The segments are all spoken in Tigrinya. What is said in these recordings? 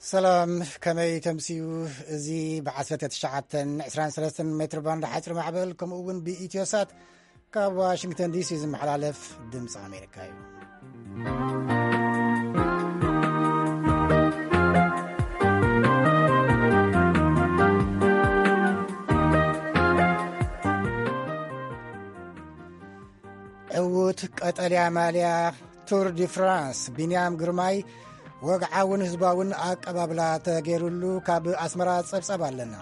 ሰላም፣ ከመይ ተምስዩ? እዚ ብ19 23 ሜትር ባንድ ሓፂር ማዕበል፣ ከምኡ እውን ብኢትዮሳት ካብ ዋሽንግተን ዲሲ ዝመሓላለፍ ድምፂ ኣሜሪካ እዩ። ዕዉት ቀጠልያ ማልያ ቱር ዲ ፍራንስ ቢንያም ግርማይ ወግዓውን ህዝባውን ኣቀባብላ ተገይሩሉ ካብ ኣስመራ ጸብጻብ ኣለና።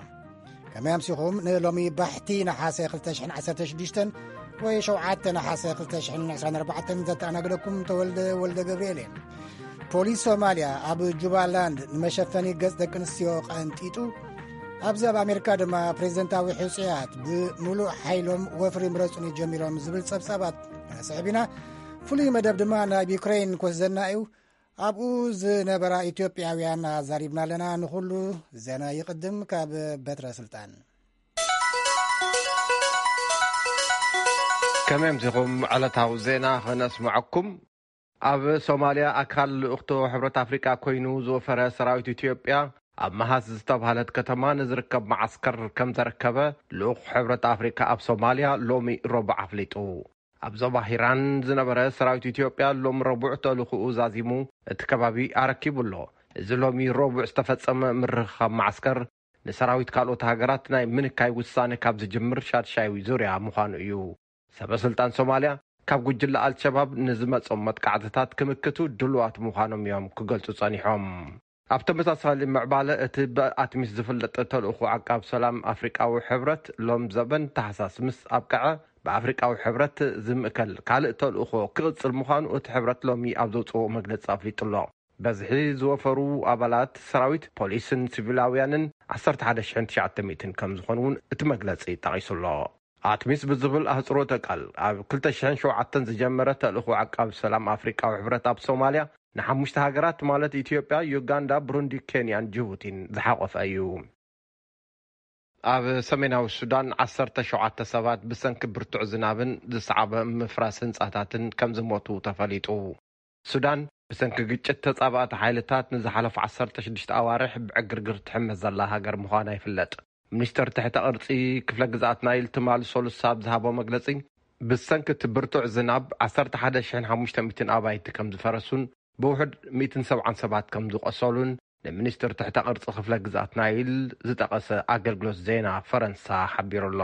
ከመይ ኣምሲኹም? ንሎሚ ባሕቲ ነሓሰ 2016 ወይ 7 ነሓሰ 2024 ዘተኣናግደኩም ተወልደ ወልደ ገብርኤል እየ። ፖሊስ ሶማልያ ኣብ ጁባላንድ ንመሸፈኒ ገጽ ደቂ ኣንስትዮ ቀንጢጡ። ኣብዚ ኣብ ኣሜሪካ ድማ ፕሬዚደንታዊ ሕጹያት ብምሉእ ሓይሎም ወፍሪ ምረጹኒ ጀሚሮም ዝብል ጸብጻባት ስሕቢና። ፍሉይ መደብ ድማ ናብ ዩክሬን ክወስደና እዩ። ኣብኡ ዝነበራ ኢትዮጵያውያን ኣዛሪብና ኣለና። ንኹሉ ዜና ይቕድም ካብ በትረ ስልጣን። ከመይ ኣምሲኹም? ዕለታዊ ዜና ከነስምዐኩም። ኣብ ሶማልያ ኣካል ልኡኽቶ ሕብረት ኣፍሪቃ ኮይኑ ዝወፈረ ሰራዊት ኢትዮጵያ ኣብ መሃስ ዝተባህለት ከተማ ንዝርከብ መዓስከር ከም ዘረከበ ልኡኽ ሕብረት ኣፍሪቃ ኣብ ሶማልያ ሎሚ ረቡዕ ኣፍሊጡ። ኣብ ዞባ ሂራን ዝነበረ ሰራዊት ኢትዮጵያ ሎም ረቡዕ ተልእኾኡ ዛዚሙ እቲ ከባቢ ኣረኪቡ ኣሎ። እዚ ሎሚ ረቡዕ ዝተፈጸመ ምርኽኻብ መዓስከር ንሰራዊት ካልኦት ሃገራት ናይ ምንካይ ውሳነ ካብ ዝጅምር ሻድሻይ ዙርያ ምዃኑ እዩ። ሰበ ስልጣን ሶማልያ ካብ ጉጅለ ኣልሸባብ ንዝመጾም መጥቃዕትታት ክምክቱ ድሉዋት ምዃኖም እዮም ክገልጹ ጸኒሖም። ኣብ ተመሳሳሊ ምዕባለ እቲ ብኣትሚስ ዝፍለጥ ተልእኾ ዓቃብ ሰላም ኣፍሪቃዊ ሕብረት ሎም ዘበን ታሕሳስ ምስ ኣብቅዐ ብኣፍሪቃዊ ሕብረት ዝምእከል ካልእ ተልእኾ ክቕጽል ምዃኑ እቲ ሕብረት ሎሚ ኣብ ዘውጽኦ መግለጺ ኣፍሊጡ ኣሎ። በዝሒ ዝወፈሩ ኣባላት ሰራዊት፣ ፖሊስን ሲቪላውያንን 11,900 ከም ዝኾኑ እውን እቲ መግለጺ ጠቒሱ ኣሎ። ኣትሚስ ብዝብል ኣህጽሮተ ቃል ኣብ 2007 ዝጀመረ ተልእኾ ዓቃብ ሰላም ኣፍሪቃዊ ሕብረት ኣብ ሶማልያ ንሓሙሽተ ሃገራት ማለት ኢትዮጵያ፣ ዩጋንዳ፣ ብሩንዲ፣ ኬንያን ጅቡቲን ዝሓቆፈ እዩ። ኣብ ሰሜናዊ ሱዳን 17 ሰባት ብሰንኪ ብርቱዕ ዝናብን ዝሰዓበ ምፍራስ ህንጻታትን ከም ዝሞቱ ተፈሊጡ። ሱዳን ብሰንኪ ግጭት ተጻባእቲ ሓይልታት ንዝሓለፉ 16 ኣዋርሕ ብዕግርግር ትሕመስ ዘላ ሃገር ምዃና ይፍለጥ። ሚኒስተር ትሕተ ቅርጺ ክፍለ ግዝኣት ናይል ትማል ሰሉስ ኣብ ዝሃቦ መግለጺ፣ ብሰንኪ እቲ ብርቱዕ ዝናብ 11,500 ኣባይቲ ከም ዝፈረሱን ብውሑድ 170 ሰባት ከም ዝቆሰሉን ንሚኒስተር ትሕተ ቅርጺ ክፍለ ግዝኣት ናይል ዝጠቐሰ ኣገልግሎት ዜና ፈረንሳ ሓቢሩ ኣሎ።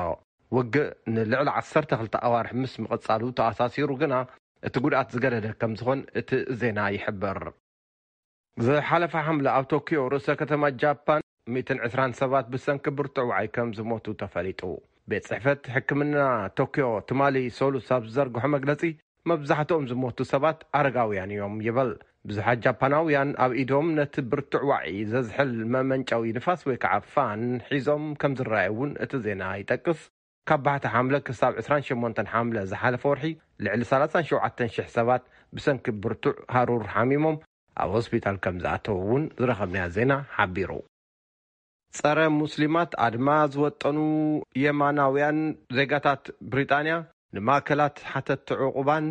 ውግእ ንልዕሊ 12 ኣዋርሕ ምስ ምቕጻሉ ተኣሳሲሩ ግና እቲ ጉድኣት ዝገደደ ከም ዝኾን እቲ ዜና ይሕብር። ዝሓለፈ ሓምለ ኣብ ቶኪዮ ርእሰ ከተማ ጃፓን 120 ሰባት ብሰንኪ ብርቱዕ ዋዒ ከም ዝሞቱ ተፈሊጡ። ቤት ጽሕፈት ሕክምና ቶኪዮ ትማሊ ሰሉስ ኣብ ዝዘርግሖ መግለጺ፣ መብዛሕትኦም ዝሞቱ ሰባት ኣረጋውያን እዮም ይበል። ብዙሓት ጃፓናውያን ኣብ ኢዶም ነቲ ብርቱዕ ዋዒ ዘዝሕል መመንጨዊ ንፋስ ወይ ከዓ ፋን ሒዞም ከም ዝረኣዩ እውን እቲ ዜና ይጠቅስ። ካብ ባሕቲ ሓምለ ክሳብ 28 ሓምለ ዝሓለፈ ወርሒ ልዕሊ 37,000 ሰባት ብሰንኪ ብርቱዕ ሃሩር ሓሚሞም ኣብ ሆስፒታል ከም ዝኣተዉ እውን ዝረኸብናዮ ዜና ሓቢሩ። ጸረ ሙስሊማት ኣድማ ዝወጠኑ የማናውያን ዜጋታት ብሪጣንያ ንማእከላት ሓተትቲ ዕቑባን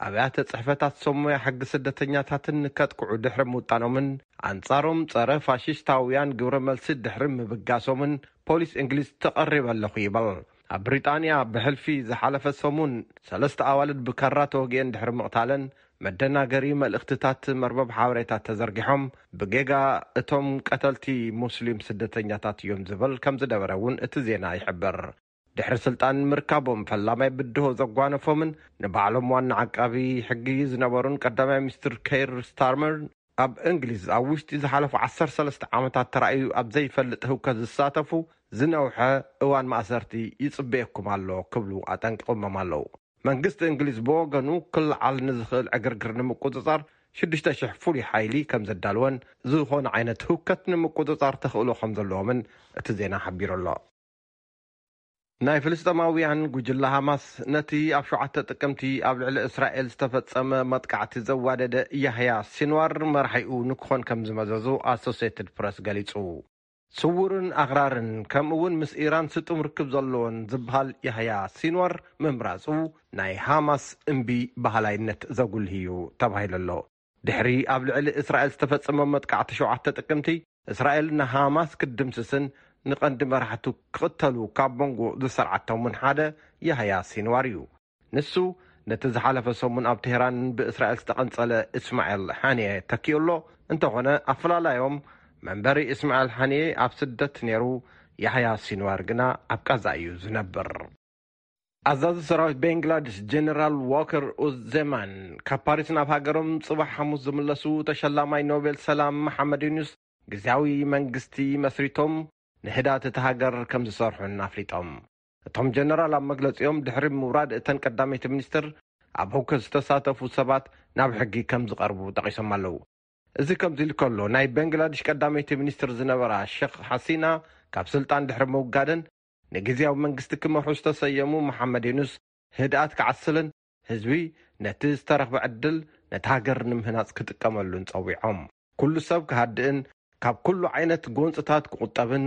ኣብያተ ጽሕፈታት ሰሙያ ሕጊ ስደተኛታትን ከጥቅዑ ድሕሪ ምውጣኖምን ኣንጻሮም ጸረ ፋሽስታውያን ግብረ መልሲ ድሕሪ ምብጋሶምን ፖሊስ እንግሊዝ ተቐሪበ ኣለኹ ይበል። ኣብ ብሪጣንያ ብሕልፊ ዝሓለፈ ሰሙን ሰለስተ ኣዋልድ ብካራ ተወጊአን ድሕሪ ምቕታለን መደናገሪ መልእኽትታት መርበብ ሓበሬታ ተዘርጊሖም ብጌጋ እቶም ቀተልቲ ሙስሊም ስደተኛታት እዮም ዝብል ከም ዝነበረ እውን እቲ ዜና ይሕብር። ድሕሪ ስልጣን ምርካቦም ፈላማይ ብድሆ ዘጓነፎምን ንባዕሎም ዋና ዓቃቢ ሕጊ ዝነበሩን ቀዳማይ ሚኒስትር ኬር ስታርመር ኣብ እንግሊዝ ኣብ ውሽጢ ዝሓለፉ 13 ዓመታት ተራእዩ ኣብ ዘይፈልጥ ህውከት ዝሳተፉ ዝነውሐ እዋን ማእሰርቲ ይጽበየኩም ኣሎ ክብሉ ኣጠንቂቖሞም ኣለዉ። መንግስቲ እንግሊዝ ብወገኑ ክለዓል ንዝኽእል ዕግርግር ንምቁጽጻር 6,000 ፍሉይ ሓይሊ ከም ዘዳልወን ዝኾነ ዓይነት ህውከት ንምቁጽጻር ተኽእሎ ከም ዘለዎምን እቲ ዜና ሓቢሩ ኣሎ። ናይ ፍልስጤማውያን ጉጅለ ሃማስ ነቲ ኣብ 7 ጥቅምቲ ኣብ ልዕሊ እስራኤል ዝተፈጸመ መጥቃዕቲ ዘዋደደ ያህያ ሲንዋር መራሒኡ ንክኾን ከም ዝመዘዙ ኣሶሲየትድ ፕረስ ገሊጹ። ስዉርን ኣኽራርን ከምኡ እውን ምስ ኢራን ስጡም ርክብ ዘለዎን ዝበሃል ያህያ ሲንዋር ምምራጹ ናይ ሃማስ እምቢ በሃላይነት ዘጉልህ እዩ ተባሂሉ ኣሎ። ድሕሪ ኣብ ልዕሊ እስራኤል ዝተፈጸመ መጥቃዕቲ 7 ጥቅምቲ እስራኤል ንሃማስ ክትድምስስን ንቐንዲ መራሕቱ ክቕተሉ ካብ መንጎ ዝሰርዓቶምን ሓደ ያህያ ሲንዋር እዩ። ንሱ ነቲ ዝሓለፈ ሰሙን ኣብ ቴህራን ብእስራኤል ዝተቐንጸለ እስማኤል ሓንየ ተኪኡ ኣሎ። እንተኾነ ኣፈላላዮም መንበሪ እስማኤል ሓንየ ኣብ ስደት ነይሩ፣ ያህያ ሲንዋር ግና ኣብ ቃዛ እዩ ዝነብር። ኣዛዚ ሰራዊት ቤንግላድሽ ጀነራል ዋከር ኡዝ ዜማን ካብ ፓሪስ ናብ ሃገሮም ጽባሕ ሓሙስ ዝምለሱ ተሸላማይ ኖቤል ሰላም መሓመድ ዩኑስ ግዝያዊ መንግስቲ መስሪቶም ንህዳት እቲ ሃገር ከም ዝሰርሑን ኣፍሊጦም። እቶም ጀነራል ኣብ መግለጺኦም ድሕሪ ምውራድ እተን ቀዳመይቲ ሚኒስትር ኣብ ህውከት ዝተሳተፉ ሰባት ናብ ሕጊ ከም ዝቐርቡ ጠቒሶም ኣለዉ። እዚ ከምዚ ኢሉ ከሎ ናይ በንግላድሽ ቀዳመይቲ ሚኒስትር ዝነበራ ሸኽ ሓሲና ካብ ስልጣን ድሕሪ ምውጋደን ንግዝያዊ መንግስቲ ክመርሑ ዝተሰየሙ መሓመድ ዩኑስ ህድኣት ክዓስልን ህዝቢ ነቲ ዝተረኽበ ዕድል ነቲ ሃገር ንምህናጽ ክጥቀመሉን ጸዊዖም። ኩሉ ሰብ ክሃድእን ካብ ኩሉ ዓይነት ጎንጽታት ክቑጠብን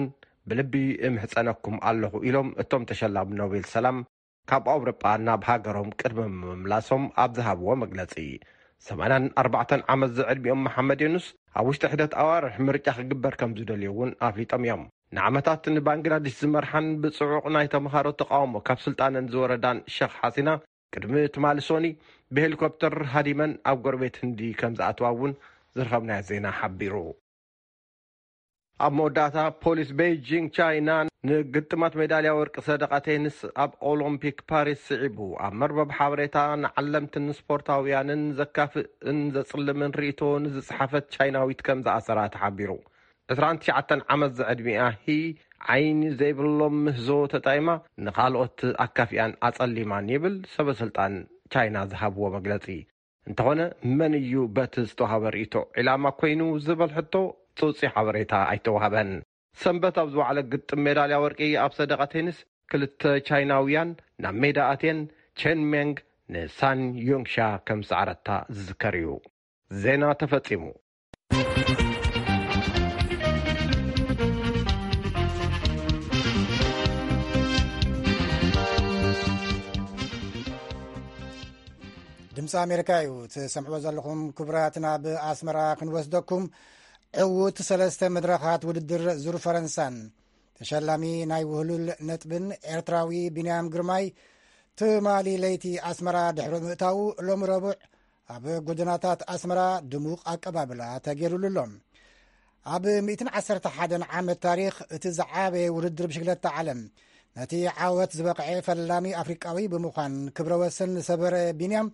ብልቢ እምሕጸነኩም ኣለኹ ኢሎም እቶም ተሸላሚ ኖቤል ሰላም ካብ ኣውሮጳ ናብ ሃገሮም ቅድሚ ምምላሶም ኣብ ዝሃብዎ መግለጺ። ሰማንያን ኣርባዕተን ዓመት ዝዕድሚኦም መሓመድ ዮኑስ ኣብ ውሽጢ ሕደት ኣዋርሕ ምርጫ ክግበር ከም ዝደልዩ እውን ኣፍሊጦም እዮም። ንዓመታት ንባንግላዴሽ ዝመርሓን ብጽዑቕ ናይ ተምሃሮ ተቃውሞ ካብ ስልጣነን ዝወረዳን ሸኽ ሓሲና ቅድሚ ትማሊ ሶኒ ብሄሊኮፕተር ሃዲመን ኣብ ጎረቤት ህንዲ ከም ዝኣትዋ እውን ዝረኸብናዮ ዜና ሓቢሩ። ኣብ መወዳእታ ፖሊስ ቤይጂንግ ቻይና ንግጥማት ሜዳልያ ወርቂ ሰደቓ ቴኒስ ኣብ ኦሎምፒክ ፓሪስ ስዒቡ ኣብ መርበብ ሓበሬታ ንዓለምትን ስፖርታውያንን ዘካፍእን ዘጽልምን ርእይቶ ንዝጸሓፈት ቻይናዊት ከም ዝኣሰራ ተሓቢሩ። ዕስራን ትሽዓተን ዓመት ዝዕድሚኣ ሂ ዓይኒ ዘይብሎም ምህዞ ተጠቒማ ንኻልኦት ኣካፊኣን ኣጸሊማን ይብል ሰበ ስልጣን ቻይና ዝሃብዎ መግለጺ። እንተኾነ መን እዩ በቲ ዝተዋሃበ ርእይቶ ዒላማ ኮይኑ ዝበል ሕቶ ጽውጺ ሓበሬታ ኣይተዋህበን። ሰንበት ኣብ ዝወዓለ ግጥም ሜዳልያ ወርቂ ኣብ ሰደቓ ቴኒስ ክልተ ቻይናውያን ናብ ሜዳ ኣትየን ቼን ሜንግ ንሳን ዮንግሻ ከም ዝሰዓረታ ዝዝከር እዩ። ዜና ተፈጺሙ። ድምፂ ኣሜሪካ እዩ ትሰምዕዎ ዘለኹም። ክቡራት፣ ናብ ኣስመራ ክንወስደኩም። ዕዉት ሰለስተ መድረኻት ውድድር ዙር ፈረንሳን ተሸላሚ ናይ ውህሉል ነጥብን ኤርትራዊ ቢንያም ግርማይ ትማሊ ለይቲ ኣስመራ ድሕሪ ምእታዉ፣ ሎሚ ረቡዕ ኣብ ጎደናታት ኣስመራ ድሙቕ ኣቀባብላ ተገይሩሉ ኣሎ። ኣብ ሚእትን ዓሰርተ ሓደን ዓመት ታሪኽ እቲ ዝዓበየ ውድድር ብሽክለታ ዓለም፣ ነቲ ዓወት ዝበቕዐ ፈላሚ ኣፍሪቃዊ ብምዃን ክብረ ወሰን ዝሰበረ ቢንያም፣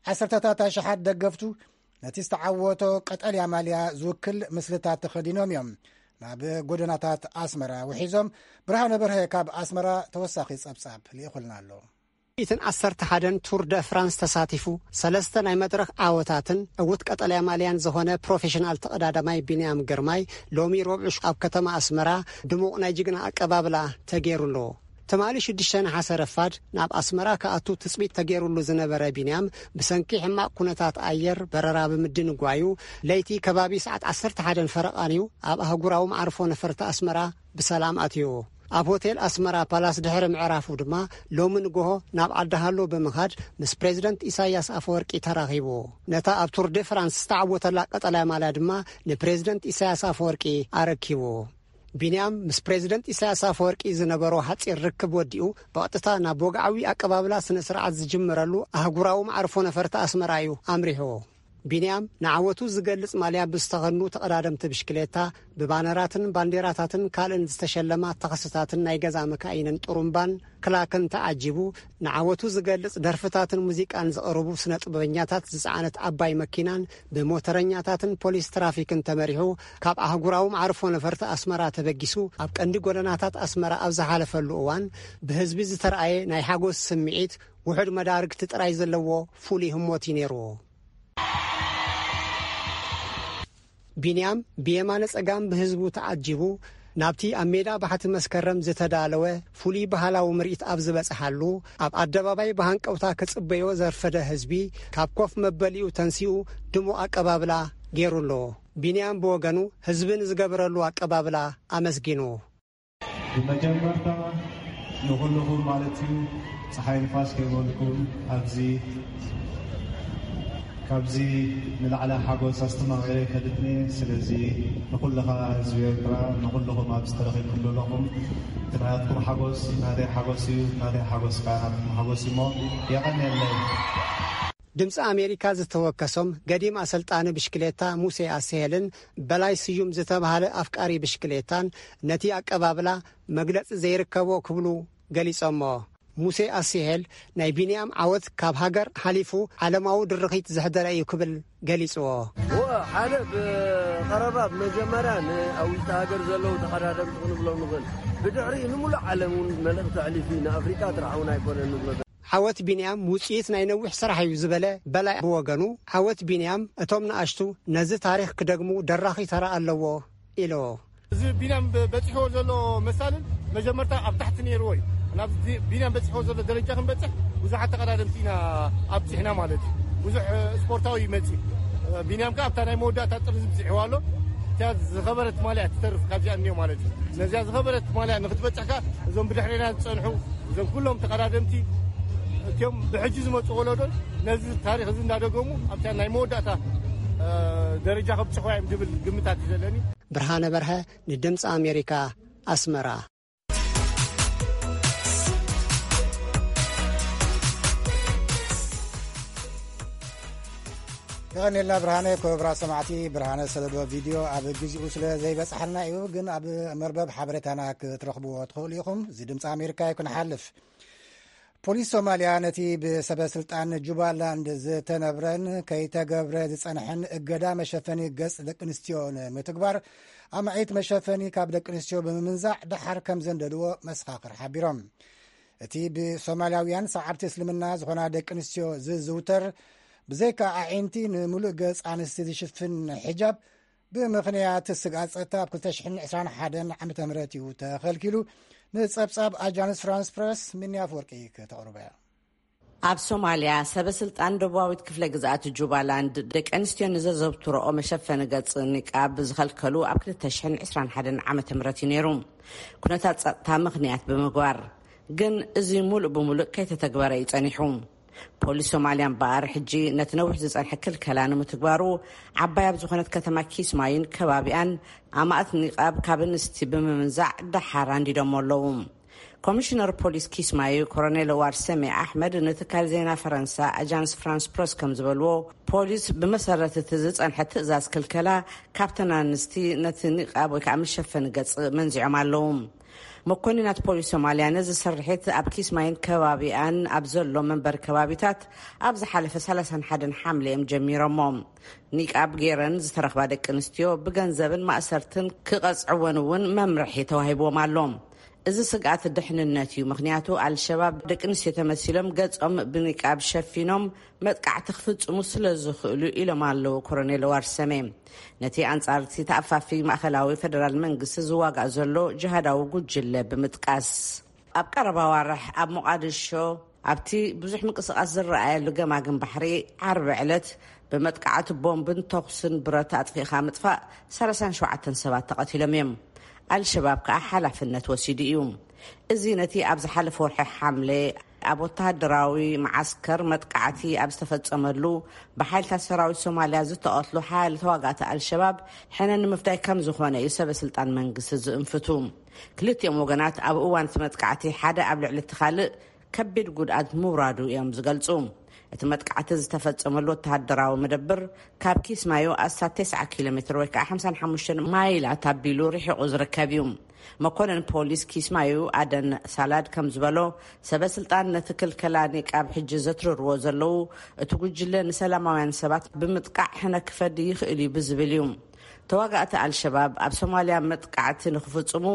ዓሰርተታት ኣሽሓት ደገፍቱ ነቲ ዝተዓወቶ ቀጠልያ ማልያ ዝውክል ምስልታት ተኸዲኖም እዮም ናብ ጎደናታት ኣስመራ ውሒዞም። ብርሃነ በርሀ ካብ ኣስመራ ተወሳኺ ጸብጻብ ልኢኹልና ኣሎ። ሚእትን ዓሰርተ ሓደን ቱር ደ ፍራንስ ተሳቲፉ፣ ሰለስተ ናይ መድረኽ ዓወታትን ዕዉት ቀጠልያ ማልያን ዝኾነ ፕሮፌሽናል ተቐዳዳማይ ቢንያም ግርማይ፣ ሎሚ ረቡዕ ኣብ ከተማ ኣስመራ ድሙቕ ናይ ጅግና ኣቀባብላ ተገይሩሉ። ትማሊ ሽዱሽተ ነሓሰ ረፋድ ናብ ኣስመራ ክኣቱ ትጽቢት ተገይሩሉ ዝነበረ ቢንያም፣ ብሰንኪ ሕማቕ ኩነታት ኣየር በረራ ብምድንጓዩ፣ ለይቲ ከባቢ ሰዓት ዓሰርተ ሓደን ፈረቓን እዩ ኣብ ኣህጉራዊ መዓርፎ ነፈርቲ ኣስመራ ብሰላም ኣትዩ። ኣብ ሆቴል ኣስመራ ፓላስ ድሕሪ ምዕራፉ ድማ፣ ሎሚ ንግሆ ናብ ዓዲ ሃሎ ብምኻድ ምስ ፕሬዝደንት ኢሳያስ ኣፈወርቂ ተራኺቡ። ነታ ኣብ ቱር ደ ፍራንስ ዝተዓወተላ ቀጠልያ ማልያ ድማ ንፕሬዝደንት ኢሳያስ ኣፈወርቂ ኣረኪቡ። ቢንያም ምስ ፕሬዝደንት ኢሳያስ ኣፈወርቂ ዝነበሮ ሓጺር ርክብ ወዲኡ፣ ብቐጥታ ናብ ወግዓዊ ኣቀባብላ ስነ ስርዓት ዝጅምረሉ ኣህጉራዊ መዓርፎ ነፈርቲ ኣስመራ እዩ ኣምሪሑ። ቢንያም ንዓወቱ ዝገልጽ ማልያ ብዝተኸድኑ ተቐዳደምቲ ብሽክሌታ፣ ብባነራትን ባንዴራታትን ካልእን ዝተሸለማ ታኽስታትን ናይ ገዛ መካይንን ጥሩምባን ክላክን ተዓጂቡ፣ ንዓወቱ ዝገልጽ ደርፍታትን ሙዚቃን ዘቕርቡ ስነ ጥበበኛታት ዝጸዓነት ዓባይ መኪናን ብሞተረኛታትን ፖሊስ ትራፊክን ተመሪሑ፣ ካብ ኣህጉራዊ መዓርፎ ነፈርቲ ኣስመራ ተበጊሱ፣ ኣብ ቀንዲ ጎደናታት ኣስመራ ኣብ ዝሓለፈሉ እዋን፣ ብህዝቢ ዝተረኣየ ናይ ሓጎስ ስምዒት፣ ውሑድ መዳርግቲ ጥራይ ዘለዎ ፍሉይ ህሞት እዩ ነይሩ። ቢንያም ብየማነ ጸጋም ብህዝቡ ተዓጂቡ፣ ናብቲ ኣብ ሜዳ ባሕቲ መስከረም ዝተዳለወ ፍሉይ ባህላዊ ምርኢት ኣብ ዝበጽሓሉ፣ ኣብ ኣደባባይ ብሃንቀውታ ክጽበዮ ዘርፈደ ህዝቢ፣ ካብ ኮፍ መበሊኡ ተንሲኡ ድሙቕ ኣቀባብላ ገይሩሉ። ቢንያም ብወገኑ፣ ህዝቢ ንዝገበረሉ ኣቀባብላ ኣመስጊኑ። ብመጀመርታ ንኹልኹም ማለት እዩ፣ ፀሓይ ንፋስ ከይበልኩም ኣብዚ ካብዚ ንላዕሊ ሓጎስ ኣስተማቒረ ኣይፈልጥን እየ። ስለዚ ንኹልኻ ህዝቢ ኤርትራ፣ ንኹልኹም ኣብዚ ተረኺብኩም ዘለኹም፣ እቲ ናትኩም ሓጎስ ናተይ ሓጎስ እዩ፣ ናተይ ሓጎስ ከኣ ናትኩም ሓጎስ እዩ እሞ የቐንየለይ። ድምፂ ኣሜሪካ ዝተወከሶም ገዲም ኣሰልጣኒ ብሽክሌታ ሙሴ ኣስሄልን በላይ ስዩም ዝተባህለ ኣፍቃሪ ብሽክሌታን ነቲ ኣቀባብላ መግለፂ ዘይርከቦ ክብሉ ገሊጾሞ። ሙሴ ኣስሄል ናይ ቢንያም ዓወት ካብ ሃገር ሓሊፉ ዓለማዊ ድርኺት ዘሕደረ እዩ ክብል ገሊጽዎ። እወ፣ ሓደ ብቐረባ ብመጀመርያ ንኣውሽጢ ሃገር ዘለዉ ተቐዳደምቲ ክንብሎም ንኽእል። ብድሕሪኡ ንሙሉእ ዓለም እውን መልእኽቲ ኣሕሊፉ እዩ። ንኣፍሪቃ ጥራሕ እውን ኣይኮነን ንብሎ። ዓወት ቢንያም ውጽኢት ናይ ነዊሕ ስራሕ እዩ ዝበለ በላይ ብወገኑ፣ ዓወት ቢንያም እቶም ንኣሽቱ ነዚ ታሪኽ ክደግሙ ደራኺ ተራ ኣለዎ ኢሉ። እዚ ቢንያም በ-፣ በጺሕዎ ዘሎ መሳልን መጀመርታ ኣብ ታሕቲ ነይርዎ እዩ። ናብ ዚ-፣ ቢንያም በጺሕዎ ዘሎ ደረጃ ክንበጽሕ ብዙሓት ተቐዳደምቲ ኢና ኣብጺሕና ማለት እዩ። ብዙሕ፣ እ፣ ስፖርታዊ ይመጽእ። እ፣ ቢንያም ከኣ ኣብታ ናይ መወዳእታ ጥርዚ ብጺሕዋ ኣሎ። እቲኣ ዝኸበረት ማልያ ትተርፍ ካብዚኣ እኒኦ ማለት እዩ። ነዚኣ ዝኸበረት ማልያ ንክትበጽሕ ከኣ እዞም ብድሕሬና ዝጸንሑ፣ እዞም ኩሎም ተቐዳደምቲ፣ እቲኦም ብሕጂ ዝመጹ ወለዶን ነዚ ታሪኽ እዚ እንዳደገሙ ኣብታ ናይ መወዳእታ፣ እ፣ ደረጃ ከብጽሕዋ እዮም ዝብል ግምታት እዩ ዘለኒ። ብርሃነ በርሀ ንድምፂ ኣሜሪካ ኣስመራ። የቐንየልና ብርሃነ። ክቡራት ሰማዕቲ፣ ብርሃነ ዝሰደዶ ቪድዮ ኣብ ግዜኡ ስለ ዘይበጽሓልና እዩ፣ ግን ኣብ መርበብ ሓበሬታና ክትረኽብዎ ትኽእሉ ኢኹም። እዚ ድምፂ ኣሜሪካ እዩ ክንሓልፍ። ፖሊስ ሶማልያ ነቲ ብሰበ ስልጣን ጁባላንድ ዝተነብረን ከይተገብረ ዝጸንሐን እገዳ መሸፈኒ ገጽ ደቂ ኣንስትዮ ንምትግባር ኣማዒት መሸፈኒ ካብ ደቂ ኣንስትዮ ብምምንዛዕ ደሓር ከም ዘንደድዎ መሰኻኽር ሓቢሮም። እቲ ብሶማልያውያን ሰዓብቲ እስልምና ዝኾና ደቂ ኣንስትዮ ዝዝውተር ብዘይካ ኣዒንቲ ንምሉእ ገጽ ኣንስቲ ዝሽፍን ሒጃብ ብምኽንያት ስግኣት ጸጥታ ኣብ ክልተ ሽሕን ዕስራን ሓደን ዓመተ ምህረት እዩ ተኸልኪሉ። ንጸብጻብ ኣጃንስ ፍራንስ ፕረስ ሚኒ ኣፍወርቂ ከተቕርቦ እያ። ኣብ ሶማልያ ሰበ ስልጣን ደቡባዊት ክፍለ ግዝኣት ጁባላንድ ደቂ ኣንስትዮ ንዘዘውትረኦ መሸፈኒ ገጽ ኒቃብ ዝኸልከሉ ኣብ ክልተ ሽሕን ዕስራን ሓደን ዓመተ ምህረት እዩ ነይሩ። ኩነታት ጸጥታ ምኽንያት ብምግባር ግን እዚ ሙሉእ ብሙሉእ ከይተተግበረ እዩ ጸኒሑ። ፖሊስ ሶማልያ እምበኣር ሕጂ ነቲ ነዊሕ ዝጸንሐ ክልከላ ንምትግባሩ ዓባይ ኣብ ዝኾነት ከተማ ኪስማዩን ከባቢኣን ኣማእት ኒቃብ ካብ ኣንስቲ ብምምንዛዕ ደሓር ኣንዲዶሞ ኣለዉ። ኮሚሽነር ፖሊስ ኪስማዩ ኮሎኔል ዋርሰሜ ኣሕመድ ንትካል ዜና ፈረንሳ ኣጃንስ ፍራንስ ፕረስ ከም ዝበልዎ፣ ፖሊስ ብመሰረት እቲ ዝጸንሐ ትእዛዝ ክልከላ ካብተን ኣንስቲ ነቲ ኒቃብ ወይ ከዓ መሸፈኒ ገጽ መንዚዖም ኣለዉ። መኮንናት ፖሊስ ሶማልያ ነዚ ስርሒት ኣብ ኪስማይን ከባቢኣን ኣብ ዘሎ መንበሪ ከባቢታት ኣብ ዝሓለፈ ሰላሳን ሓደን ሓምለ እዮም ጀሚሮሞ። ኒቃብ ገይረን ዝተረኽባ ደቂ ኣንስትዮ ብገንዘብን ማእሰርትን ክቐጽዕወን እውን መምርሒ ተዋሂብዎም ኣሎ። እዚ ስግኣት ድሕንነት እዩ፣ ምኽንያቱ ኣልሸባብ ደቂ ኣንስትዮ ተመሲሎም ገጾም ብኒቃብ ሸፊኖም መጥቃዕቲ ክፍጽሙ ስለ ዝኽእሉ ኢሎም ኣለዉ ኮሎኔል ዋርሰሜ። ነቲ ኣንጻር እቲ ተኣፋፊ ማእኸላዊ ፈደራል መንግስቲ ዝዋጋእ ዘሎ ጅሃዳዊ ጉጅለ ብምጥቃስ፣ ኣብ ቀረባ ዋርሕ ኣብ ሞቓድሾ ኣብቲ ብዙሕ ምንቅስቓስ ዝረኣየሉ ገማግም ባሕሪ ዓርቢ ዕለት ብመጥቃዕቲ ቦምብን ተኹስን ብረት ኣጥፊእኻ ምጥፋእ ሰላሳን ሸውዓተን ሰባት ተቐቲሎም እዮም። ኣልሸባብ ከኣ ሓላፍነት ወሲዱ እዩ። እዚ ነቲ ኣብ ዝሓለፈ ወርሒ ሓምለ ኣብ ወተሃደራዊ መዓስከር መጥቃዕቲ ኣብ ዝተፈጸመሉ ብሓይልታት ሰራዊት ሶማልያ ዝተቐትሉ ሓያሎ ተዋጋእቲ ኣልሸባብ ሕነ ንምፍዳይ ከም ዝኾነ እዩ ሰበ ስልጣን መንግስቲ ዝእንፍቱ። ክልቲኦም ወገናት ኣብ እዋን እቲ መጥቃዕቲ ሓደ ኣብ ልዕሊ እቲ ካልእ ከቢድ ጉድኣት ምውራዱ እዮም ዝገልጹ። እቲ መጥቃዕቲ ዝተፈጸመሉ ወተሃደራዊ መደብር ካብ ኪስማዮ ኣስታት ተስዓ ኪሎ ሜትር ወይ ከዓ ሓምሳን ሓሙሽተን ማይላት ኣቢሉ ርሒቑ ዝርከብ እዩ። መኮንን ፖሊስ ኪስማዩ ኣደን ሳላድ ከም ዝበሎ፣ ሰበ ስልጣን ነቲ ክልከላ ኒቃብ ሕጂ ዘትርርዎ ዘለዉ፣ እቲ ጉጅለ ንሰላማውያን ሰባት ብምጥቃዕ ሕነ ክፈዲ ይኽእል እዩ ብዝብል እዩ። ተዋጋእቲ ኣልሸባብ ኣብ ሶማልያ መጥቃዕቲ ንክፍጽሙ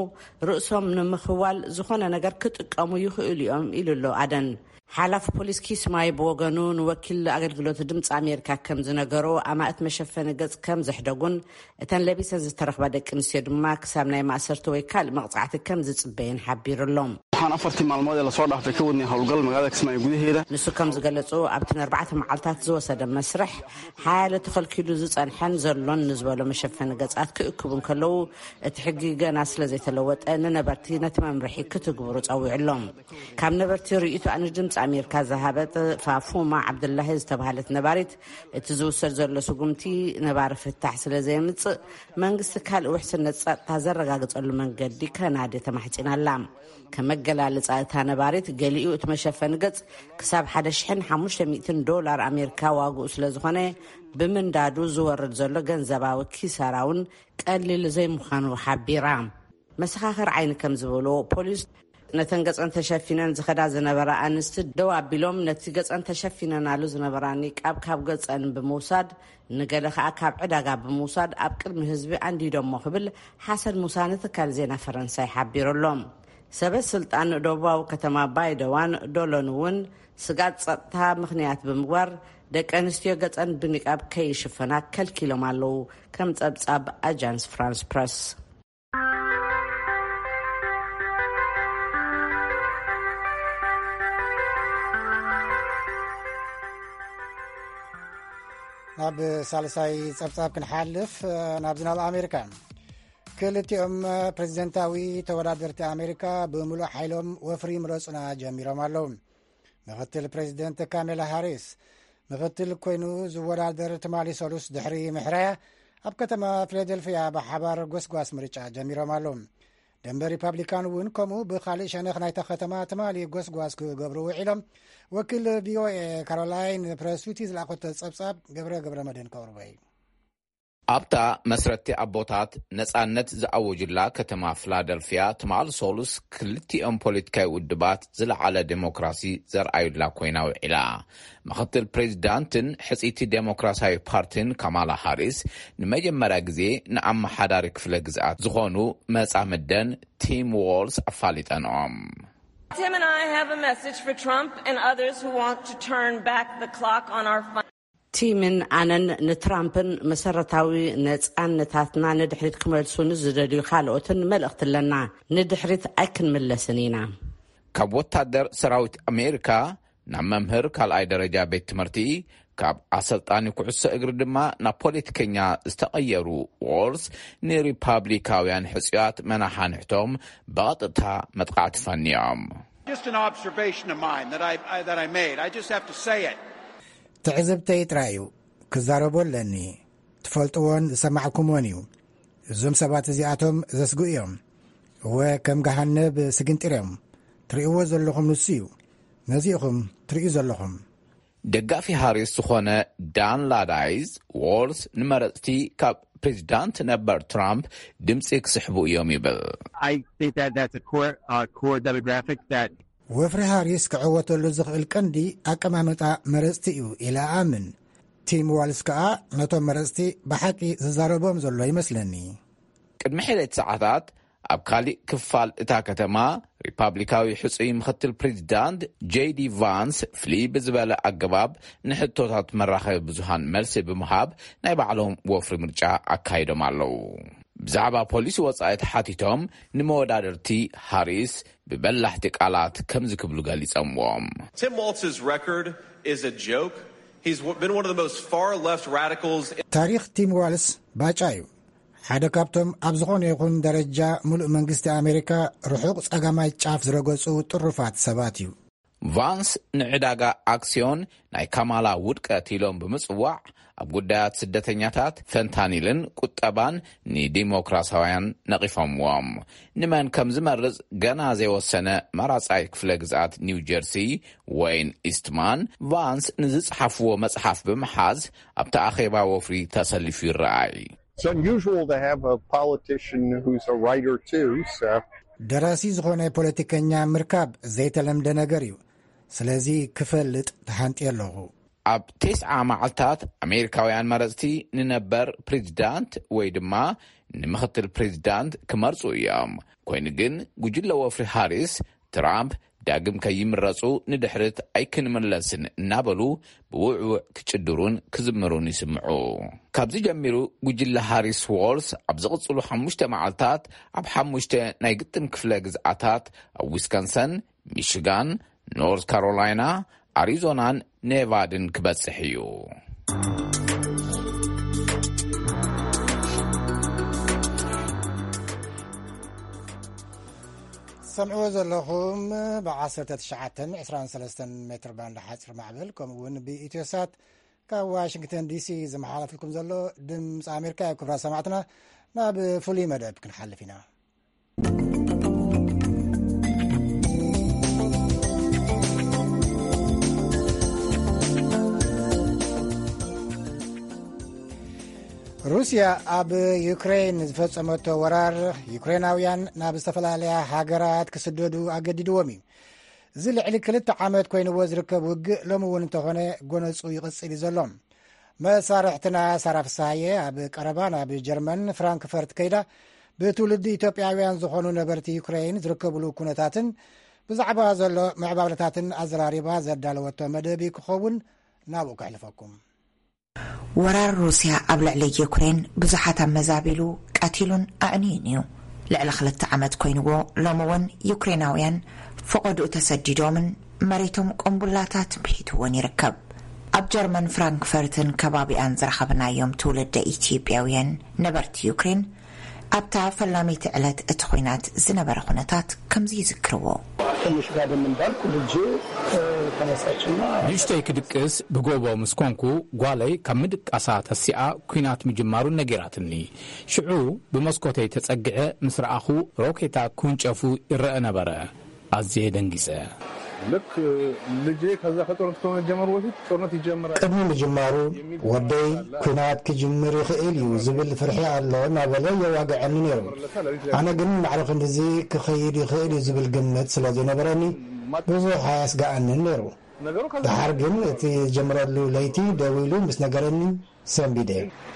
ርእሶም ንምኽዋል ዝኾነ ነገር ክጥቀሙ ይኽእሉ እዮም ኢሉ ኣሎ ኣደን። ሓላፊ ፖሊስ ኪስማይ ብወገኑ ንወኪል ኣገልግሎት ድምፂ ኣሜሪካ ከም ዝነገሮ፣ ኣማእት መሸፈኒ ገጽ ከም ዘሕደጉን እተን ለቢሰን ዝተረኽባ ደቂ ኣንስትዮ ድማ ክሳብ ናይ ማእሰርቲ ወይ ካልእ መቕጻዕቲ ከም ዝጽበየን ሓቢሩ ኣሎ። Waxaan afartii maalmood ee lasoo dhaafay ka wadnay howlgal magaalada Kismaayo gudaheeda. ንሱ ከም ዝገለጹ፣ ኣብቲ ንኣርባዕተ መዓልታት ዝወሰደ መስርሕ ሓያለ ተኸልኪሉ ዝጸንሐን ዘሎን ንዝበሎ መሸፈኒ ገጻት ክእክቡ እንከለዉ፣ እቲ ሕጊ ገና ስለ ዘይተለወጠ ንነበርቲ ነቲ መምርሒ ክትግብሩ ጸዊዑ ኣሎ። ካብ ነበርቲ ርእይቶኣ ንድምፂ ኣሜሪካ ዝሃበት ፋፉማ ዓብዱላሂ ዝተባህለት ነባሪት፣ እቲ ዝውሰድ ዘሎ ስጉምቲ ነባሪ ፍታሕ ስለ ዘየምጽእ፣ መንግስቲ ካልእ ውሕስነት ጸጥታ ዘረጋግጸሉ መንገዲ ከናዲ ተማሕጺናላ። ከመገላልጻ እታ ነባሪት፣ ገሊኡ እቲ መሸፈኒ ገጽ ክሳብ ሓደ ሽሕን ሓሙሽተ ሚእትን ዶላር ኣሜሪካ ዋግኡ ስለ ዝኾነ፣ ብምንዳዱ ዝወርድ ዘሎ ገንዘባዊ ኪሳራ እውን ቀሊል ዘይምዃኑ ሓቢራ። መሰኻኽር ዓይኒ ከም ዝበሎ፣ ፖሊስ ነተን ገጸን ተሸፊነን ዝኸዳ ዝነበራ ኣንስቲ ደው ኣቢሎም፣ ነቲ ገጸን ተሸፊነናሉ ዝነበራ ኒቃብ ካብ ገጸን ብምውሳድ፣ ንገለ ከኣ ካብ ዕዳጋ ብምውሳድ ኣብ ቅድሚ ህዝቢ ኣንዲዶሞ ክብል ሓሰን ሙሳ ንትካል ዜና ፈረንሳይ ሓቢሩ ኣሎ። ሰበ ስልጣን ደቡባዊ ከተማ ባይደዋን ዶሎን እውን ስጋት ጸጥታ ምኽንያት ብምግባር፣ ደቂ ኣንስትዮ ገጸን ብኒቃብ ከይሽፈና ከልኪሎም ኣለዉ፣ ከም ጸብጻብ ኣጃንስ ፍራንስ ፕረስ። ናብ ሳልሳይ ጸብጻብ ክንሓልፍ፣ ናብ ዝናብ ኣሜሪካ። ክልቲኦም ፕሬዚደንታዊ ተወዳደርቲ ኣሜሪካ ብምሉእ ሓይሎም ወፍሪ ምረጹና ጀሚሮም ኣለዉ። ምኽትል ፕሬዚደንት ካሜላ ሃሪስ፣ ምኽትል ኮይኑ ዝወዳደር ትማሊ ሰሉስ ድሕሪ ምሕራያ፣ ኣብ ከተማ ፊላደልፊያ ብሓባር ጎስጓስ ምርጫ ጀሚሮም ኣለዉ። ደንበ ሪፓብሊካን እውን ከምኡ ብኻልእ ሸነኽ ናይታ ከተማ ትማሊ ጎስጓስ ክገብሩ ውዒሎም። ወኪል ቪኦኤ ካሮላይን ፕረሱቲ ዝለኣኸቶ ጸብጻብ ገብረ ገብረ መድህን ከቕርቦ እዩ። ኣብታ መስረቲ ኣቦታት ነጻነት ዝኣወጁላ ከተማ ፊላደልፊያ፣ ትማል ሶሉስ ክልቲኦም ፖለቲካዊ ውድባት ዝለዓለ ዴሞክራሲ ዘርኣዩላ ኮይና ውዒላ። ምኽትል ፕሬዚዳንትን ሕጽይቲ ዴሞክራሲያዊ ፓርቲን ካማላ ሃሪስ፣ ንመጀመርያ ግዜ ንኣመሓዳሪ ክፍለ ግዝኣት ዝኾኑ መጻምደን ቲም ዎልስ ኣፋሊጠንኦም። Tim and I have a message for Trump and others who want to turn back the clock on our fun. ቲምን ኣነን ንትራምፕን መሰረታዊ ነጻነታትና ንድሕሪት ክመልሱ ንዝደልዩ ካልኦትን መልእኽቲ ኣለና። ንድሕሪት ኣይክንምለስን ኢና። ካብ ወታደር ሰራዊት ኣሜሪካ ናብ መምህር ካልኣይ ደረጃ ቤት ትምህርቲ፣ ካብ ኣሰልጣኒ ኩዕሶ እግሪ ድማ ናብ ፖለቲከኛ ዝተቐየሩ ዎልስ፣ ንሪፓብሊካውያን ሕጹያት መናሓንሕቶም ብቐጥታ መጥቃዕቲ ፈንዮም። Just an observation of mine that I, I, that I made. I just have to say it. ትዕዝብተይ ጥራይ እዩ። ክዛረቦ ኣለኒ። ትፈልጥዎን ዝሰማዕኩምዎን እዩ። እዞም ሰባት እዚኣቶም ዘስግኡ እዮም። እወ፣ ከም ገሃነብ ስግንጢር እዮም። ትርእይዎ ዘለኹም ንሱ እዩ። ነዚ ኢኹም ትርእዩ ዘለኹም። ደጋፊ ሃሪስ ዝኾነ ዳን ላዳይዝ፣ ዎልስ ንመረጽቲ ካብ ፕሬዚዳንት ነበር ትራምፕ ድምጺ ክስሕቡ እዮም ይብል። I think that that's a core, uh, core demographic that ወፍሪ ሃሪስ ክዕወተሉ ዝኽእል ቀንዲ ኣቀማምጣ መረጽቲ እዩ ኢለ ኣኣምን። ቲም ዋልስ ከኣ ነቶም መረጽቲ ብሓቂ ዝዛረቦም ዘሎ ይመስለኒ። ቅድሚ ሒደት ሰዓታት ኣብ ካሊእ ክፋል እታ ከተማ፣ ሪፓብሊካዊ ሕጹይ ምኽትል ፕሬዚዳንት ጄዲ ቫንስ ፍልይ ብዝበለ ኣገባብ ንሕቶታት መራኸቢ ብዙሃን መልሲ ብምሃብ ናይ ባዕሎም ወፍሪ ምርጫ ኣካይዶም ኣለዉ። ብዛዕባ ፖሊሲ ወጻኢ ተሓቲቶም፣ ንመወዳደርቲ ሃሪስ ብበላሕቲ ቃላት ከምዚ ክብሉ ገሊጸምዎም። Tim Walz's record is a joke. He's w- been one of the most far left radicals. ታሪኽ ቲም ዋልስ ባጫ እዩ። ሓደ ካብቶም ኣብ ዝኾነ ይኹን ደረጃ ምሉእ መንግስቲ ኣሜሪካ ርሑቕ ጸጋማይ ጫፍ ዝረገጹ ጥሩፋት ሰባት እዩ። ቫንስ ንዕዳጋ ኣክስዮን ናይ ካማላ ውድቀት ኢሎም ብምጽዋዕ፣ ኣብ ጉዳያት ስደተኛታት፣ ፈንታኒልን ቁጠባን ንዲሞክራሲያውያን ነቒፎምዎም። ንመን ከም ዝመርጽ ገና ዘይወሰነ መራጻይ ክፍለ ግዝኣት ኒው ጀርሲ፣ ወይን ኢስትማን፣ ቫንስ ንዝጸሓፍዎ መጽሓፍ ብምሓዝ ኣብቲ ኣኼባ ወፍሪ ተሰሊፉ ይረኣይ። It's unusual to have a politician who's a writer too, so ደራሲ ዝኾነ ፖለቲከኛ ምርካብ ዘይተለምደ ነገር እዩ። ስለዚ ክፈልጥ ተሃንጥየ ኣለኹ። ኣብ ተስዓ መዓልታት ኣሜሪካውያን መረጽቲ ንነበር ፕሬዚዳንት ወይ ድማ ንምኽትል ፕሬዚዳንት ክመርጹ እዮም። ኮይኑ ግን ጉጅለ ወፍሪ ሃሪስ፣ ትራምፕ ዳግም ከይምረጹ ንድሕሪት ኣይክንምለስን እናበሉ ብውዕውዕ ክጭድሩን ክዝምሩን ይስምዑ። ካብዚ ጀሚሩ ጉጅለ ሃሪስ ዎልስ ኣብ ዝቕጽሉ ሓሙሽተ መዓልታት ኣብ ሓሙሽተ ናይ ግጥም ክፍለ ግዝኣታት፣ ኣብ ዊስኮንሰን፣ ሚሽጋን፣ ኖርዝ ካሮላይና፣ ኣሪዞናን ኔቫድን ክበጽሕ እዩ። ሰምዕዎ ዘለኹም ብ19 23 ሜትር ባንድ ሓፂር ማዕበል፣ ከምኡ እውን ብኢትዮሳት ካብ ዋሽንግተን ዲሲ ዝመሓላለፍልኩም ዘሎ ድምፂ ኣሜሪካ እዩ። ክብራ ሰማዕትና፣ ናብ ፍሉይ መደብ ክንሓልፍ ኢና። ሩስያ ኣብ ዩክሬን ዝፈጸመቶ ወራር፣ ዩክሬናውያን ናብ ዝተፈላለያ ሃገራት ክስደዱ ኣገዲድዎም እዩ። እዚ ልዕሊ ክልተ ዓመት ኮይንዎ ዝርከብ ውግእ ሎሚ እውን እንተኾነ ጎነጹ ይቕጽል እዩ ዘሎ። መሳርሕትና ሳራ ፍስሃየ ኣብ ቀረባ ናብ ጀርመን ፍራንክፈርት ከይዳ ብትውልዲ ኢትዮጵያውያን ዝኾኑ ነበርቲ ዩክሬን ዝርከብሉ ኩነታትን ብዛዕባ ዘሎ ምዕባለታትን ኣዘራሪባ ዘዳለወቶ መደብ እዩ ክኸውን። ናብኡ ከሕልፈኩም። ወራር ሩስያ ኣብ ልዕሊ ዩክሬን ብዙሓት ኣመዛቢሉ ቀቲሉን ኣዕንዩን እዩ። ልዕሊ ክልተ ዓመት ኮይንዎ፣ ሎሚ እውን ዩክሬናውያን ፈቐድኡ ተሰዲዶምን መሬቶም ቆምቡላታት ብሒትዎን ይርከብ። ኣብ ጀርመን ፍራንክፈርትን ከባቢኣን ዝረኸብናዮም ትውልደ ኢትዮጵያውያን ነበርቲ ዩክሬን ኣብታ ፈላመይቲ ዕለት እቲ ኲናት ዝነበረ ኩነታት ከምዚ ይዝክርዎ። ትንሽ ጋደም እንዳልኩ ልጄ ተነሳችና ንእሽተይ ክድቅስ ብጎቦ ምስ ኮንኩ፣ ጓለይ ካብ ምድቃሳ ተሲኣ ኲናት ምጅማሩ ነጊራትኒ። ሽዑ ብመስኮተይ ተጸግዐ ምስ ረኣኹ፣ ሮኬታ ክውንጨፉ ይረአ ነበረ። ኣዝየ ደንጊጸ። ልክ ልጄ ከዛ ከጦርነት ከመጀመሩ በፊት ጦርነት ይጀምራል ቅድሚ ምጅማሩ፣ ወደይ ኲናት ክጅምር ይኽእል እዩ ዝብል ፍርሒ ኣሎ እናበለ የዋግዐኒ ነይሩ። ኣነ ግን ማዕረ ክንድዚ ክኸይድ ይኽእል እዩ ዝብል ግምት ስለ ዘይነበረኒ፣ ብዙሕ ኣየስግኣንን ነይሩ። ደሓር ግን እቲ ዝጀመረሉ ለይቲ ደዊሉ ምስ ነገረኒ፣ ሰንቢደ።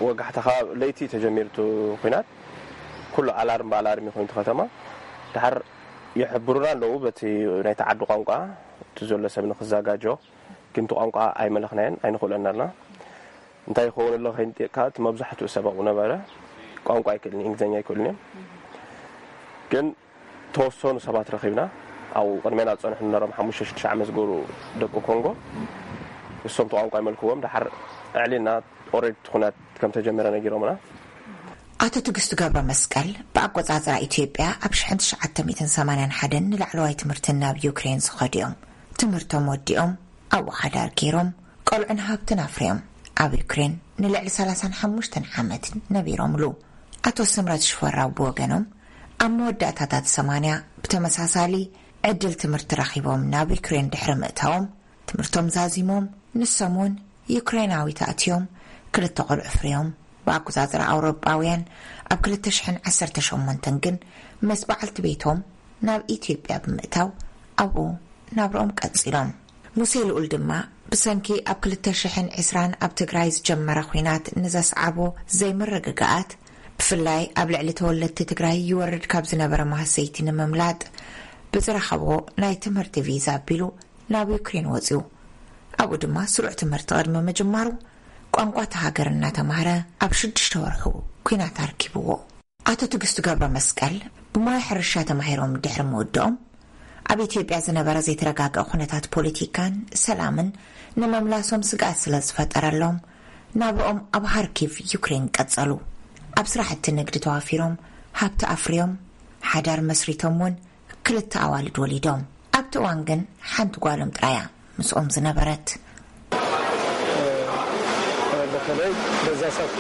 ወጋሕታ ካብ ለይቲ ተጀሚሩ እቲ ኲናት፣ ኩሉ ኣላርም ብኣላርም እዩ ኮይኑ እቲ ከተማ። ደሓር ይሕብሩና ኣለዉ በቲ ናይቲ ዓዲ ቋንቋ፣ እቲ ዘሎ ሰብ ንክዘጋጆ። ግን እቲ ቋንቋ ኣይመለኽናዮን፣ ኣይንኽእሎን ኣለና። እንታይ ይኸውን ኣሎ ከይንጥየቅካ፣ እቲ መብዛሕትኡ ሰብ ኣብኡ ነበረ። ቋንቋ ኣይክእልን፣ እንግሊዝኛ ኣይክእሉን እዮም። ግን ተወሰኑ ሰባት ረኺብና፣ ኣብኡ ቅድሜና ዝጸንሑ ነሮም ሓሙሽተ ሽዱሽተ ዓመት ዝገብሩ ደቂ ኮንጎ፣ እሶም እቲ ቋንቋ ይመልክዎም። ደሓር ኣዕሊልና፣ ኦልሬዲ እቲ ኩናት ከም ተጀመረ ነጊሮምና። ኣቶ ትግስቱ ገብረ መስቀል ብኣቆጻጽራ ኢትዮጵያ ኣብ ሽሕን ትሽዓተ ሚእትን ሰማንያን ሓደን ንላዕለዋይ ትምህርቲ ናብ ዩክሬን ዝኸዱ እዮም። ትምህርቶም ወዲኦም ኣብኡ ሓዳር ገይሮም፣ ቆልዑን ሃብትን ኣፍርዮም። ኣብ ዩክሬን ንልዕሊ ሰላሳን ሓሙሽተን ዓመት ነቢሮምሉ። ኣቶ ስምረት ሽፈራው ብወገኖም፣ ኣብ መወዳእታታት ሰማንያ ብተመሳሳሊ ዕድል ትምህርቲ ረኺቦም ናብ ዩክሬን ድሕሪ ምእታዎም፣ ትምህርቶም ዛዚሞም፣ ንሶም እውን ዩክሬናዊት ኣእትዮም፣ ክልተ ቆልዑ ኣፍርዮም። ብኣቆጻጽራ ኣውሮጳውያን ኣብ ክልተ ሽሕን ዓሰርተ ሸሞንተን ግን ምስ በዓልቲ ቤቶም ናብ ኢትዮጵያ ብምእታው ኣብኡ ናብርኦም ቀጺሎም። ሙሴ ልኡል ድማ ብሰንኪ ኣብ ክልተ ሽሕን ዕስራን ኣብ ትግራይ ዝጀመረ ኲናት ንዘስዓቦ ዘይምርግጋኣት፣ ብፍላይ ኣብ ልዕሊ ተወለድቲ ትግራይ ይወርድ ካብ ዝነበረ ማህሰይቲ ንምምላጥ ብዝረኸቦ ናይ ትምህርቲ ቪዛ ኣቢሉ ናብ ዩክሬን ወጺኡ። ኣብኡ ድማ ስሩዕ ትምህርቲ ቅድሚ ምጅማሩ ቋንቋ እታ ሃገር እናተማህረ ኣብ ሽዱሽተ ወርሑ ኲናት ኣርኪብዎ። ኣቶ ትግስቱ ገብረ መስቀል ብሞያ ሕርሻ ተማሂሮም ድሕሪ ምውድኦም፣ ኣብ ኢትዮጵያ ዝነበረ ዘይተረጋግአ ኩነታት ፖለቲካን ሰላምን ንመምላሶም ስግኣት ስለ ዝፈጠረሎም፣ ናብርኦም ኣብ ሃርኪቭ ዩክሬን ቀጸሉ። ኣብ ስራሕቲ ንግዲ ተዋፊሮም፣ ሃብቲ ኣፍርዮም፣ ሓዳር መስሪቶም እውን ክልተ ኣዋልድ ወሊዶም። ኣብቲ እዋን ግን ሓንቲ ጓሎም ጥራያ ምስኦም ዝነበረት። በተለይ በዛ ሰዓት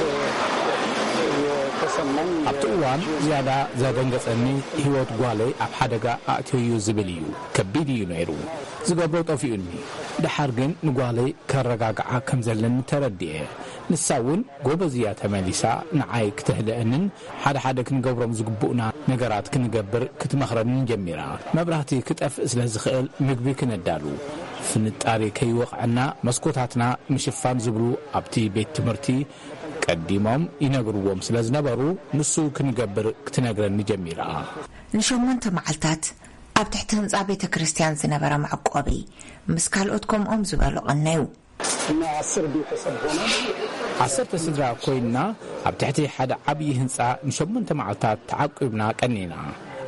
የተሰማኝ ኣብቲ እዋን ዝያዳ ዘደንገጸኒ፣ ህይወት ጓለይ ኣብ ሓደጋ ኣእትዮ እዩ ዝብል እዩ። ከቢድ እዩ ነይሩ። ዝገብሮ ጠፊኡኒ። ደሓር ግን ንጓለይ ከረጋግዓ ከም ዘለኒ ተረዲኤ። ንሳ እውን ጎበዝ እያ ተመሊሳ ንዓይ ክተህድአንን ሓደ ሓደ ክንገብሮም ዝግብኡና ነገራት ክንገብር ክትመኽረንን ጀሚራ። መብራህቲ ክጠፍእ ስለ ዝኽእል ምግቢ ክነዳሉ፣ ፍንጣሪ ከይወቕዐና መስኮታትና ምሽፋን ዝብሉ ኣብቲ ቤት ትምህርቲ ቀዲሞም ይነግርዎም ስለ ዝነበሩ፣ ንሱ ክንገብር ክትነግረኒ ጀሚራ። ንሸሞንተ መዓልታት ኣብ ትሕቲ ህንጻ ቤተ ክርስቲያን ዝነበረ መዕቆቢ ምስ ካልኦት ከምኦም ዝበሉ ቀነዩ። እና አስር ቤተሰብ ሆነ። ዓሰርተ ስድራ ኮይንና ኣብ ትሕቲ ሓደ ዓብዪ ህንጻ ንሸሞንተ መዓልታት ተዓቂብና ቀኒና።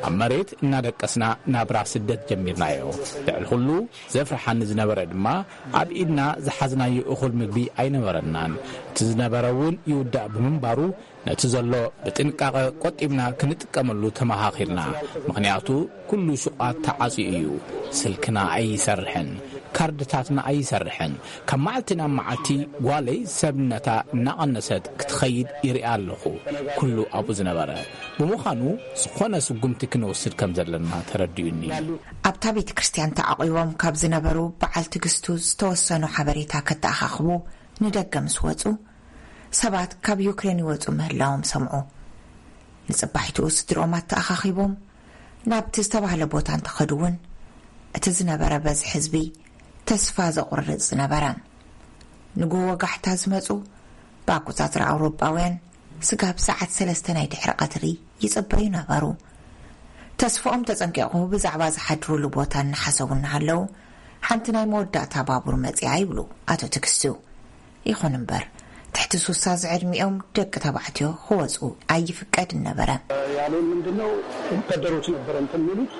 ኣብ መሬት እናደቀስና ናብራ ስደት ጀሚርናዮ። ልዕሊ ኩሉ ዘፍርሓኒ ዝነበረ ድማ ኣብ ኢድና ዝሓዝናዮ እኹል ምግቢ ኣይነበረናን። እቲ ዝነበረ እውን ይውዳእ ብምንባሩ ነቲ ዘሎ ብጥንቃቐ ቆጢብና ክንጥቀመሉ ተመኻኺርና። ምኽንያቱ ኩሉ ሹቓት ተዓጽዩ እዩ። ስልክና ኣይሰርሕን፣ ካርድታትና ኣይሰርሕን። ካብ መዓልቲ ናብ መዓልቲ ጓለይ ሰብነታ እናቐነሰት ክትኸይድ ይርኢ ኣለኹ። ኩሉ ኣብኡ ዝነበረ ብምዃኑ ዝኾነ ስጉምቲ ክንወስድ ከም ዘለና ተረዲኡኒ። ኣብታ ቤተ ክርስቲያን ተዓቒቦም ካብ ዝነበሩ በዓል ትግስቱ ዝተወሰኑ ሓበሬታ ከተኣኻኽቡ ንደገ ምስ ወጹ፣ ሰባት ካብ ዩክሬን ይወጹ ምህላዎም ሰምዑ። ንጽባሒቱ ስድርኦም ኣተኣኻኺቦም ናብቲ ዝተባህለ ቦታ እንተኸዱ እውን፣ እቲ ዝነበረ በዝሒ ህዝቢ ተስፋ ዘቑርጽ ነበረ። ንግሆ ወጋሕታ ዝመጹ ብኣቆጻጽራ ኣውሮጳውያን ስጋብ ሰዓት ሰለስተ ናይ ድሕሪ ቀትሪ ይጽበዩ ነበሩ። ተስፋኦም ተጸንቂቑ ብዛዕባ ዝሓድሩሉ ቦታ እናሓሰቡ እናሃለዉ፣ ሓንቲ ናይ መወዳእታ ባቡር መጺኣ ይብሉ ኣቶ ትግስቱ። ይኹን እምበር፣ ትሕቲ ሱሳ ዝዕድሚኦም ደቂ ተባዕትዮ ክወጹ ኣይፍቀድን ነበረ። ያሉን ምንድነው? ወታደሮች ነበረ እንትን የሚሉት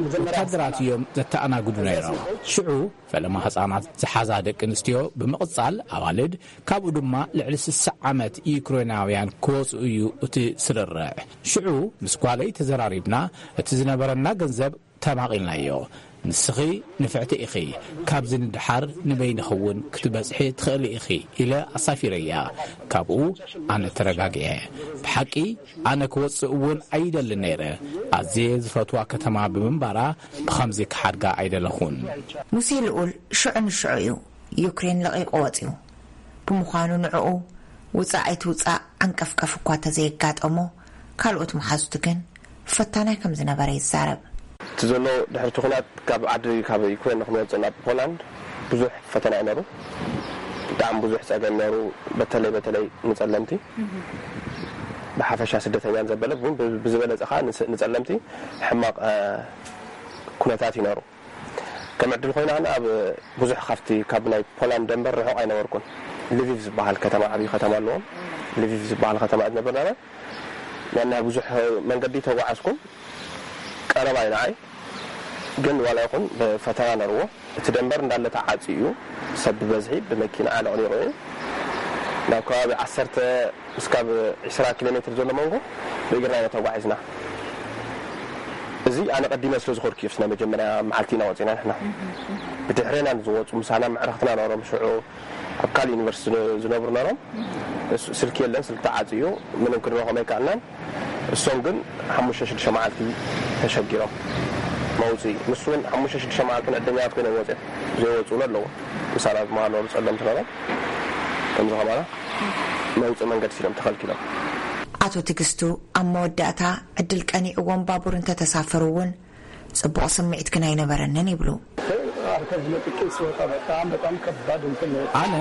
መጀመሪያ ወታደራት እዮም ዘተኣናግዱ ነይሮም። ሽዑ ፈለማ ህጻናት ዝሓዛ ደቂ ኣንስትዮ ብምቕጻል ኣዋልድ፣ ካብኡ ድማ ልዕሊ ስሳ ዓመት ዩክሬናውያን ክወጽኡ እዩ እቲ ስርርዕ። ሽዑ ምስ ጓለይ ተዘራሪብና እቲ ዝነበረና ገንዘብ ተማቒልናዮ። ንስኺ ንፍዕቲ ኢኺ፣ ካብዚ ንደሓር ንበይንኺ እውን ክትበጽሒ ትኽእሊ ኢኺ ኢለ ኣሳፊረያ። ካብኡ ኣነ ተረጋጊዐ። ብሓቂ ኣነ ክወጽእ እውን ኣይደልን ነይረ። ኣዝየ ዝፈትዋ ከተማ ብምንባራ ብኸምዚ ክሓድጋ ኣይደለኹን። ሙሴ ልኡል ሽዑ ንሽዑ እዩ ዩክሬን ለቒቑ ወጺኡ። ብምዃኑ ንዕኡ ውጻእ ኣይትውጻእ ዓንቀፍቀፍ እኳ ተዘየጋጠሞ፣ ካልኦት መሓዙቱ ግን ፈታናይ ከም ዝነበረ ይዛረብ። እቲ ዘሎ ድሕርቲ ኩናት ካብ ዓዲ ካብ ዩክሬን ንክንወፅእ ናብ ፖላንድ ብዙሕ ፈተና እዩ ነሩ። ብጣዕሚ ብዙሕ ፀገም ነሩ። በተለይ በተለይ ንፀለምቲ ብሓፈሻ ስደተኛን ዘበለ ግን ብዝበለፀ ከዓ ንፀለምቲ ሕማቕ ኩነታት እዩ ነሩ። ከም ዕድል ኮይና ኣብ ብዙሕ ካብቲ ካብ ናይ ፖላንድ ደንበር ርሑቕ ኣይነበርኩን። ልቪቭ ዝበሃል ከተማ ዓብዪ ከተማ ኣለዎም። ልቪቭ ዝበሃል ከተማ ዝነበር ነበር ያን ብዙሕ መንገዲ ተጓዓዝኩም ቀረባ እዩ ንዓይ። ግን ዋላ ይኹን ፈተና ነርዎ። እቲ ደንበር እንዳለ ተዓፅዩ እዩ። ሰብ ብበዝሒ ብመኪና ኣለቕሊቑ እዩ። ናብ ከባቢ ዓሰርተ እስካብ ዕስራ ኪሎ ሜትር ዘሎ መንጎ ብእግርና ኢና ተጓዒዝና። እዚ ኣነ ቀዲመ ስለ ዝኾድኩ እዩ ናይ መጀመርያ መዓልቲ ኢና ወፂና ንሕና። ብድሕሬና ዝወፁ ምሳና መዕረኽትና ነሮም ሽዑ ኣብ ካልእ ዩኒቨርሲቲ ዝነብሩ ነሮም። ስልኪ የለን፣ ስልኪ ተዓፅዩ ምንም ክንረኸም ኣይከኣልናን። እሶም ግን ሓሙሽተ ሽዱሽተ መዓልቲ ተሸጊሮም መውፅኢ። ንሱ እውን ሓሙሽተ ሽዱሽተ መዓልቲ ዕደኛታት ኮይኖም ወፅኦም ዘይወፅኡሉ ኣለዉ። ምሳና ዝመሃሉ ጸለምቲ ነሮም ከምዚ ከማና መውፅኢ መንገዲ ሲሎም ተኸልኪሎም። ኣቶ ትግስቱ ኣብ መወዳእታ ዕድል ቀኒዕዎም ባቡር እንተተሳፈሩ እውን ጽቡቕ ስምዒት ግን ኣይነበረንን ይብሉ። ኣነ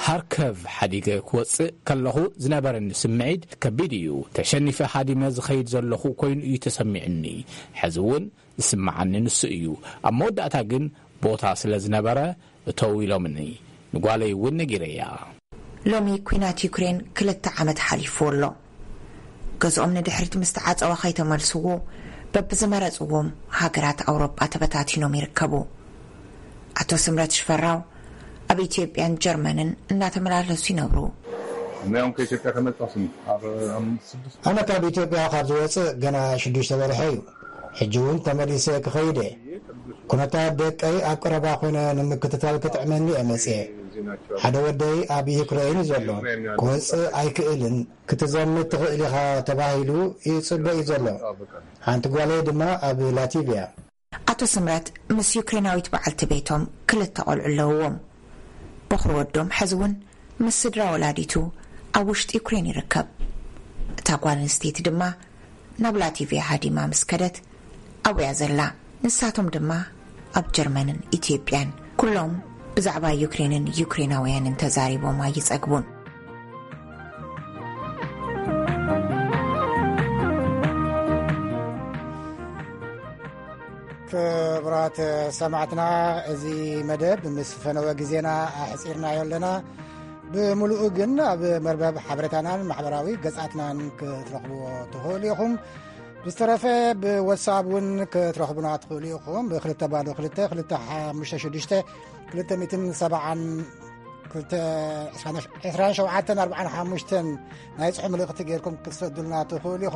ሃርከቭ ሓዲገ ክወፅእ ከለኹ ዝነበረኒ ስምዒት ከቢድ እዩ። ተሸኒፈ ሃዲመ ዝኸይድ ዘለኹ ኮይኑ እዩ ተሰሚዕኒ። ሕዚ እውን ዝስምዓኒ ንሱ እዩ። ኣብ መወዳእታ ግን ቦታ ስለ ዝነበረ እተው ኢሎምኒ። ንጓለይ እውን ነጊረያ። ሎሚ ኲናት ዩክሬን ክልተ ዓመት ሓሊፉ ኣሎ። ገዝኦም ንድሕሪት ምስ ተዓጸወ ከይተመልስዎ በብዝመረጽዎም ሃገራት ኣውሮጳ ተበታቲኖም ይርከቡ። ኣቶ ስምረት ሽፈራው ኣብ ኢትዮጵያን ጀርመንን እናተመላለሱ ይነብሩ። ሙያውን ከኢትዮጵያ ከመጣስም ኣብ ስድስት ኣነ ካብ ኢትዮጵያ ካብ ዝወፅእ ገና ሽዱሽተ ወርሒ እዩ። ሕጂ እውን ተመሊሰ ክኸይድ እየ። ኩነታት ደቀይ ኣብ ቀረባ ኮይነ ንምክትታል ክጥዕመኒ እየ መፅየ። ሓደ ወደይ ኣብ ዩክሬን እዩ ዘሎ። ክወፅእ ኣይክእልን። ክትዘምት ትኽእል ኢኻ ተባሂሉ ይፅበ እዩ ዘሎ። ሓንቲ ጓለይ ድማ ኣብ ላቲቭያ። ኣቶ ስምረት ምስ ዩክሬናዊት በዓልቲ ቤቶም ክልተ ቆልዑ ኣለውዎም። በኹሪ ወዶም ሕዚ እውን ምስ ስድራ ወላዲቱ ኣብ ውሽጢ ዩክሬን ይርከብ። እታ ጓል ኣንስተይቲ ድማ ናብ ላቲቭያ ሃዲማ ምስ ከደት ኣብያ ዘላ። ንሳቶም ድማ ኣብ ጀርመንን ኢትዮጵያን ኩሎም ብዛዕባ ዩክሬንን ዩክሬናውያንን ተዛሪቦም ኣይጸግቡን። ክቡራት ሰማዕትና፣ እዚ መደብ ምስ ፈነወ ግዜና ኣሕጺርናዮ ኣለና። ብምሉኡ ግን ኣብ መርበብ ሓበሬታናን ማሕበራዊ ገጻትናን ክትረኽብዎ ትኽእሉ ኢኹም። ብዝተረፈ ብወትሳፕ እውን ክትረኽቡና ትኽእሉ ኢኹም። ብ202-256-270 27-45 ናይ ጽሑፍ ምልእኽቲ ጌርኩም ክትሰዱልና ትኽእሉ ኢኹም።